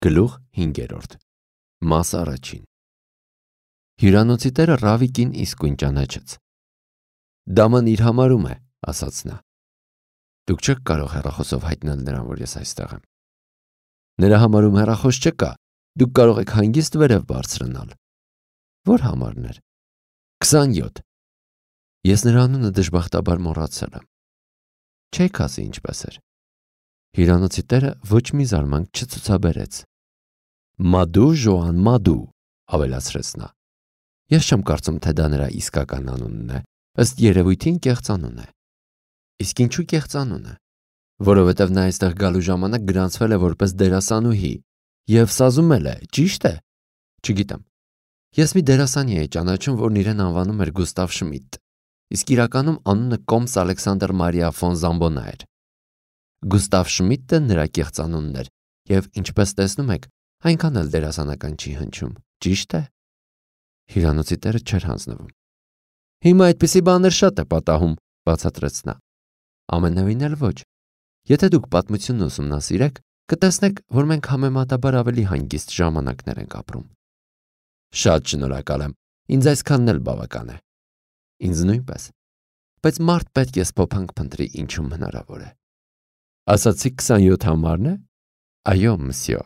Գլուխ 5 Մաս առաջին Հյուրանոցի տերը Ռավիկին իսկույն ճանաչեց։ Դաման իր համարում է, ասաց նա։ Դուք չեք կարող հեռախոսով հայտնել նրան, որ ես այստեղ եմ։ Նրա համարում հեռախոս չկա, դուք կարող եք հանգիստ վերև բարձրանալ։ Որ համարներ։ 27 Ես նրա անունը դժբախտաբար մոռացել եմ։ Չեք ասի ինչպես էր։ Հյուրանոցի տերը ոչ մի զարմանք չցուցաբերեց։ Մադու Ժոան Մադու, ավելացրեց նա։ Ես չեմ կարծում, թե դա նրա իսկական անունն է, ըստ երևույթին կեղծանուն է։ Իսկ ինչու կեղծանուն է։ Որովհետև նա այստեղ գալու ժամանակ գրանցվել է որպես դերասանուհի և սազումել է, ճիշտ է։ Չգիտեմ։ Ես մի դերասանի էի ճանաչում, որն իրեն անվանում էր Գուստավ Շմիդտ, իսկ իրականում անունը Կոմս Ալեքսանդր Մարիա ֆոն Զամբոնա էր։ Գուստավ Շմիդտը նրա կեղծանունն էր, և ինչպես տեսնում եք, այնքան էլ դերասանական չի հնչում, ճիշտ է։ Հյուրանոցի տերը չէր հանձնվում։ Հիմա այդպիսի բաներ շատ է պատահում, բացատրեց նա։ Ամենևին էլ ոչ։ Եթե դուք պատմությունն ուսումնասիրեք, կտեսնեք, որ մենք համեմատաբար ավելի հանգիստ ժամանակներ ենք ապրում։ Շատ շնորհակալ եմ, ինձ այսքանն էլ բավական է։ Ինձ նույնպես։ Բայց մարդ պետք է սփոփանք փնտրի, ինչում հնարավոր է։ Ասացիք 27 համարն է։ Այո, մսյո։